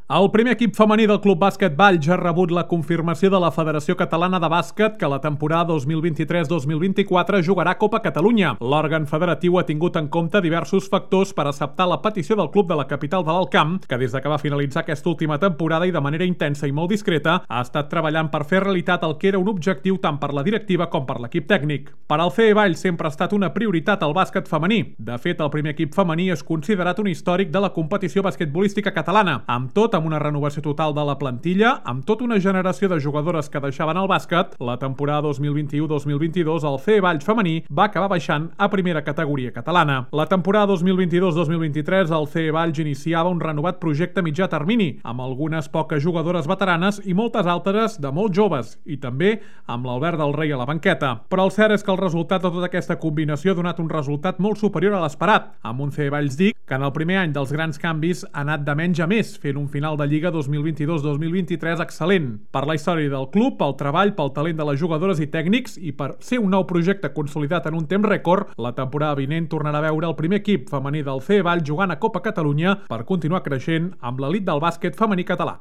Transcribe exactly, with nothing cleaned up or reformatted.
El primer equip femení del Club Bàsquet Valls ha rebut la confirmació de la Federació Catalana de Bàsquet que la temporada dos mil vint-i-tres dos mil vint-i-quatre jugarà Copa Catalunya. L'òrgan federatiu ha tingut en compte diversos factors per acceptar la petició del club de la capital de l'Alt Camp, que des de que va finalitzar aquesta última temporada i de manera intensa i molt discreta ha estat treballant per fer realitat el que era un objectiu tant per la directiva com per l'equip tècnic. Per al C E Valls sempre ha estat una prioritat el bàsquet femení. De fet, el primer equip femení és considerat un històric de la competició basquetbolística catalana. Amb tot, amb una renovació total de la plantilla, amb tota una generació de jugadores que deixaven el bàsquet, la temporada dos mil vint-i-u dos mil vint-i-dos el C E Valls femení va acabar baixant a primera categoria catalana. La temporada dos mil vint-i-dos dos mil vint-i-tres el C E Valls iniciava un renovat projecte mitjà termini, amb algunes poques jugadores veteranes i moltes altres de molt joves, i també amb l'Albert del Rei a la banqueta. Però el cert és que el resultat de tota aquesta combinació ha donat un resultat molt superior a l'esperat, amb un C E Valls D I C que en el primer any dels grans canvis ha anat de menys a més, fent un final de Lliga dos mil vint-i-dos dos mil vint-i-tres excel·lent. Per la història del club, pel treball, pel talent de les jugadores i tècnics i per ser un nou projecte consolidat en un temps rècord, la temporada vinent tornarà a veure el primer equip femení del C E Valls jugant a Copa Catalunya per continuar creixent amb l'elit del bàsquet femení català.